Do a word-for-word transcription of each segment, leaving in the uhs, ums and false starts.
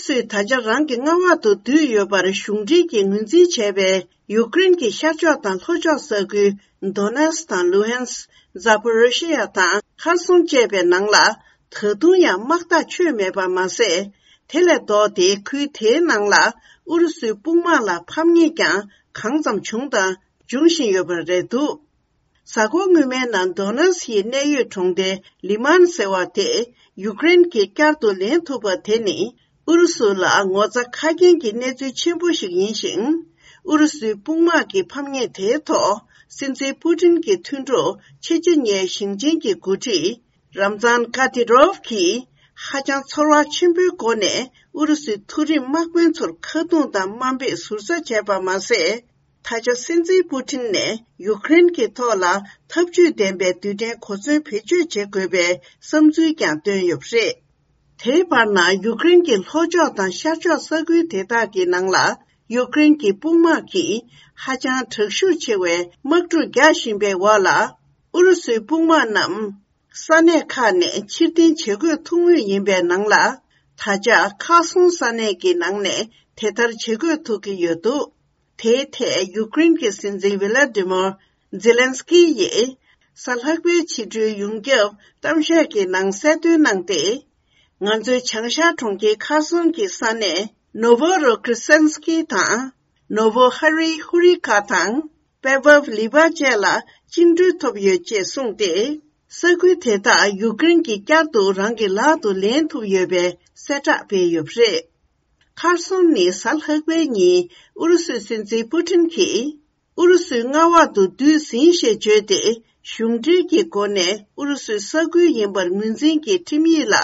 སུས་ད་ཆ་རང་གི་མངའ་འོག་ཏུ་བསྡུས་ཡོད་པར་གཞུང་འབྲེལ་གྱིས་ངོས་འཛིན་བྱས་པའི་ཡུཀ་རེན་གྱི་ཤར་ཕྱོགས་དང་ལྷོ་ཕྱོགས་ས་ཁུལ་Donetsk དང་Luhansk, Zaporizhzhia དང་Kherson བཅས་པའི་ནང་ལ་ད་དུང་ཡང་དམག་ཐག་ཆོད་མེད་པ་མ་ཟད། དེ་ལས་ལྡོག་སྟེ་ཁུལ་དེའི་ནང་ལ་ཨུ་རུ་སུའི་དཔུང་དམག་ལ་ཕམ་ཉེས་ཀྱང་གང་ཙམ་བྱུང་དང་འབྱུང་བཞིན་ཡོད་པ་རེད་འདུག་གཟའ་འཁོར་སྔོན་མའི་ནང་Donetsk ཡི་གནད་ཡོད་གྲོང་སྡེ་Liman ཟེར་བ་དེ་ཡུཀ་རེན་གྱིས་བསྐྱར་དུ་ལེན་ཐུབ་པ་དེ་ནི། ཨུ་རུ་སུ་ལ་ངོ་ཚ་ཁ་སྐྱེངས་ཀྱི་གནས་ཚུལ་ཆེན་པོ་ཞིག་ཡིན་ཞིང་། ཨུ་རུ་སུའི་དཔུང་དམག་གི་ཕམ་ཉེས་དེའི་ཐོག་སྲིད་འཛིན་པུ་ཏིན་གྱི་མཐུན་གྲོགས་ཆེ་ཆེ་ཉེའི་ཞིང་ཆེན་གྱི་འགོ་ཁྲིད་Ramzan Kadyrov གྱིས་ཧ་ཅང་ཚོར་བ་ཆེན་པོའི་སྒོ་ནས་ཨུ་རུ་སུའི་མཐོ་རིམ་དམག་དཔོན་ཚོར་ཁ་རྡུང་དང་དམའ་འབེབས་ཟུར་ཟ་བྱས་པ་མ་ཟད། ད་ཆ་སྲིད་འཛིན་པུ་ཏིན་ནས་ཡུཀ་རེན་གྱི་ཐོག་ལ་འཐབ་ཇུས་ལྡན་པའི་རྡུལ་ཕྲན་གོ་མཚོན་བེད་སྤྱོད་བྱེད་དགོས་པའི་བསམ་ཚུལ་ཀྱང་བཏོན་ཡོད་པ་རེད། དེའི་བར་ན་ཡུཀ་རེན་གྱི་ལྷོ་ཕྱོགས་དང་ཤར་ཕྱོགས་ས་ཁུལ་དེ་དག་གི་ནང་ལ་ཡུཀ་རེན་གྱི་དཔུང་དམག་གིས་ཧ་ཅང་དྲག་ཤུགས་ཆེ་བའི་དམག་འཁྲུག་རྒྱག་བཞིན་པའི་འོག་ལ། ཨུ་རུ་སུའི་དཔུང་དམག་རྣམས་ས་གནས་ཁག་ནས་ཕྱིར་འཐེན་བྱེད་དགོས་ཐུག་མུས་ཡིན་པའི་ནང་ལ། ད་ཆ་ཁ་སོང་ས་གནས་ཀྱི་ནང་ནས་དེ་ལྟར་བྱེད་དགོས་ཐུག་གི་ཡོད་འདུག་དེའི་ཐད་ཡུཀ་རེན་གྱི་སྲིད་འཛིན་ཝི་ལ་ཏི་མོར་ཛེ་ལན་སི་ཀི་ཡིས་གཟའ་ལྷག་པའི་ཕྱི་དྲོའི་ཡོངས་ཁྱབ་གཏམ་བཤད་ཀྱི་ནང་གསལ་སྟོན་གནང་སྟེ། ང་ཚོའི་བྱང་ཤར་གྲོང་ཁྱེར་ཁར་སོན་གྱི་ས་གནས་ནོ་ཝོ་རོ་ཁྲི་སན་སི་ཀི་དང་ནོ་ཝོ་ཧ་རི་ཧུ་རི་ཀ་དང་པེ་ཝབ་ལི་བ་བཅས་ལ་བཅིངས་འགྲོལ་ཐོབ་ཡོད་ཅེས་གསུངས་ཏེ། ས་ཁུལ་དེ་དག་ཡུཀ་རེན་གྱིས་བསྐྱར་དུ་རང་གི་ལག་ཏུ་ལེན་ཐུབ་ཡོད་པའི་གསལ་བསྒྲགས་སྤེལ་ཡོད་པ་རེད། ཁར་སོན་ནི་གཟའ་ལྷག་པའི་ཉིན་ཨུ་རུ་སུའི་སྲིད་འཛིན་པུ་ཏིན་གྱིས། ཨུ་རུ་སུའི་མངའ་འོག་ཏུ་བསྡུས་ཟིན་ཞེས་བརྗོད་དེ། གཞུང་འབྲེལ་གྱི་སྒོ་ནས་ཨུ་རུ་སུའི་ས་ཁུལ་ཡིན་པར་ངོས་འཛིན་གྱི་ཁྲིམས་ཡིག་ལ་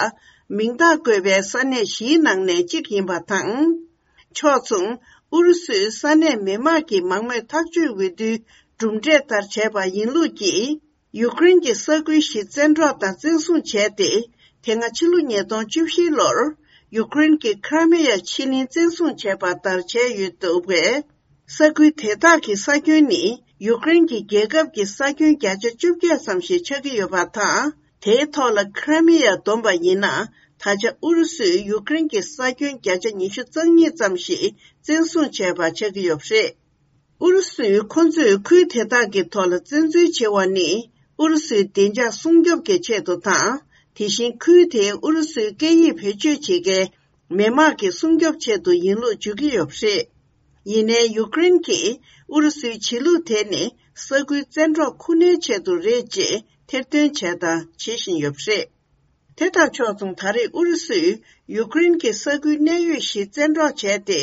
མིང་རྟགས་བཀོད་པའི་ས་གནས་བཞིའི་ནང་ནས་གཅིག་ཡིན་པ་དང་། ཕྱོགས་མཚུངས་ཨུ་རུ་སུའི་ས་གནས་མི་དམངས་ཀྱི་མང་མོས་ཐག་གཅོད་འོས་བསྡུའི་གྲུབ་འབྲས་ལྟར་བྱས་པ་ཡིན་ལུགས་ཀྱིས། ཡུཀ་རེན་གྱི་ས་ཁུལ་བཞི་བཙན་འཕྲོག་དང་བཙན་བཟུང་བྱས་ཏེ། དེ་སྔ་ཕྱི་ལོ་ཉིས་སྟོང་བཅུ་བཞི་ལོར་ཡུཀ་རེན་གྱི་ཁི་ར་མེ་ཡ་ཕྱེད་གླིང་བཙན་བཟུང་བྱས་པ་ལྟར་བྱས་ཡོད་འདུག་པས། ས་ཁུལ་དེ་དག་གི་ས་ཁྱོན་ནི་ཡུཀ་རེན་གྱི་རྒྱལ་ཁབ་ཀྱི་ས་ཁྱོན་བརྒྱ་ཆ་བཅོ་བརྒྱད་ཙམ་ཞིག་ཆགས་ཀྱི་ཡོད་པ་དང་། དེའི་ཐོག་ལ་ཁི་ར་མེ་ཡ་བསྡོམས་པ་ཡིན་ན། ད་ཆ་ཨུ་རུ་སུས་ཡུཀ་རེན་གྱི་ས་ཁྱོན་བརྒྱ་ཆ་ཉི་ཤུ་རྩ་གཉིས་ཙམ་ཞིག་བཙན་བཟུང་བྱས་པ་ཆགས་ཀྱི་ཡོད་པ་རེད། ཨུ་རུ་སུས་ཁོ་ཚོས་ཁུལ་དེ་དག་གི་ཐོག་ལ་བཙན་འཛུལ་བྱེད་པ་ནི་ཨུ་རུ་སུའི་བདེ་འཇགས་སྲུང་སྐྱོབ་ཀྱི་ཆེད་དུ་དང་། དེ་བཞིན་ཁུལ་དེའི་ཨུ་རུ་སུའི་སྐད་ཡིག་བེད་སྤྱོད་བྱེད་མཁན་མི་དམངས་ཀྱི་སྲུང་སྐྱོབ་ཆེད་དུ་ཡིན་ལུགས་བརྗོད་ཀྱི་ཡོད་པ་རེད། ཡིན་ནའི་ཡུཀ་རེན་གྱིས་ཨུ་རུ་སུའི་བྱེད་ལུགས་དེ་ནི་ས་ཁུལ་བཙན་འཕྲོག་ཁུར་ནའི་ཆེད་དུ་རེད་ཅེས་ཐེར་འདོན་བྱས་དང་བྱེད་བཞིན་ཡོད་པ་རེད། དེ་དང་ཕྱོགས་མཚུངས་ད་རེས་ཨུ་རུ་སུས་ཡུཀ་རེན་གྱི་ས་ཁུལ་གནད་ཡོད་བཞི་བཙན་འཕྲོག་བྱས་ཏེ།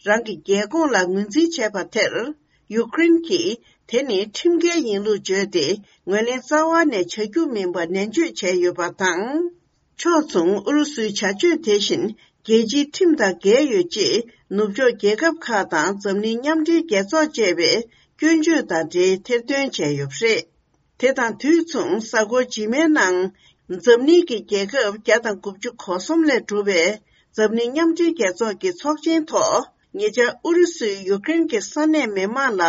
རང་གི་རྒྱལ་ཁོངས་ལ་ངོས་འཛིན་བྱས་པ་དེར། ཡུཀ་རེན་གྱིས་དེ་ནི་ཁྲིམས་འགལ་ཡིན་ལུགས་བརྗོད་དེ། ངོས་ལེན་རྩ་བ་ནས་བྱ་རྒྱུ་མིན་པ་ནན་བརྗོད་བྱས་ཡོད་པ་དང་། ཕྱོགས་མཚུངས་ཨུ་རུ་སུའི་བྱ་སྤྱོད་དེ་བཞིན་རྒྱལ་སྤྱིའི་ཁྲིམས་དང་འགལ་ཡོད་ཅེས། ནུབ་ཕྱོགས་རྒྱལ་ཁབ་ཁག་དང་འཛམ་གླིང་མཉམ་འབྲེལ་རྒྱལ་ཚོགས་བཅས་པས་སྐྱོན་བརྗོད་དང་འབྲེལ་ཐེར་འདོན་བྱས་ཡོད་པ་རེད། དེ་དང་དུས་མཚུངས། གཟའ་འཁོར་རྗེས་མའི་ནང་། འཛམ་གླིང་གི་རྒྱལ་ཁབ་བརྒྱ་དང་དགུ་བཅུ་གོ་གསུམ་ལས་གྲུབ་པའི་འཛམ་གླིང་མཉམ་འབྲེལ་རྒྱལ་ཚོགས་ཀྱི་ཚོགས་ཆེན་ཐོག་ཉེ་ཆར་ཨུ་རུ་སུས་ཡུཀ་རེན་གྱི་ས་གནས་མི་དམངས་ལ་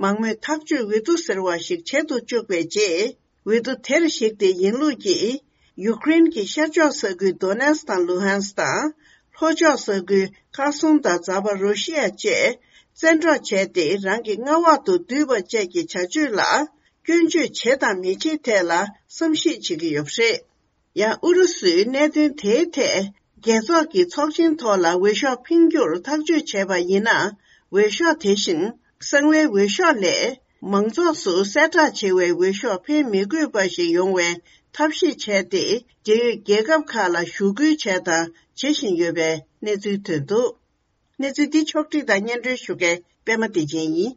མང་མོས་ཐག་གཅོད་འོས་བསྡུ་ཟེར་བ་ཞིག་བྱེད་དུ་བཅུག་པའི་རྗེས། འོས་བསྡུ་དེར་གཞིགས་ཏེ་ཡིན་ལུགས་ཀྱིས། ཡུཀ་རེན་གྱི་ཤར་ཕྱོགས་ས་ཁུལ་Donetsk དང་Luhansk དང་། ལྷོ་ཕྱོགས་ས་ཁུལ་Kherson དང་Zaporizhzhia བཅས་བཙན་འཕྲོག་བྱས་ཏེ། རང་གི་མངའ་འོག་ཏུ་བསྡུས་པ་བཅས་ཀྱི་བྱ་སྤྱོད་ལ། སྐྱོན་བརྗོད་བྱེད་དང་མི་བྱེད་ཐད་ལ་བསམ་གཞིག་བྱེད་ཀྱི་ཡོད་པ་རེད། ཡང་ཨུ་རུ་སུས་གནད་དོན་དེའི་ཐད། རྒྱལ་ཚོགས་ཀྱི་ཚོགས་ཆེན་ཐོག་ལ་འོས་ཤོག་འཕེན་རྒྱུར་ཐག་གཅོད་བྱས་པ་ཡིན་ན། འོས་ཤོག་དེ་བཞིན་གསང་བའི་འོས་ཤོག་ལས། མང་ཚོགས་སུ་གསལ་བསྒྲགས་བྱེད་པའི་འོས་ཤོག་འཕེན་མི་དགོས་པ་ཞིག་ཡོང་བའི་ཐབས་ཤེས་བྱས་ཏེ། འབྲེལ་ཡོད་རྒྱལ་ཁབ་ཁག་ལ་ཞུ་སྐུལ་བྱས་དང་བྱེད་བཞིན་ཡོད་པའི་གནས་ཚུལ་ཐོན་འདུག་གནས་ཚུལ་འདི་ཕྱོགས་བསྒྲིགས་དང་སྙན་སྒྲོན་ཞུ་མཁན་པད་མ་བདེ་ཆེན་ཡིན།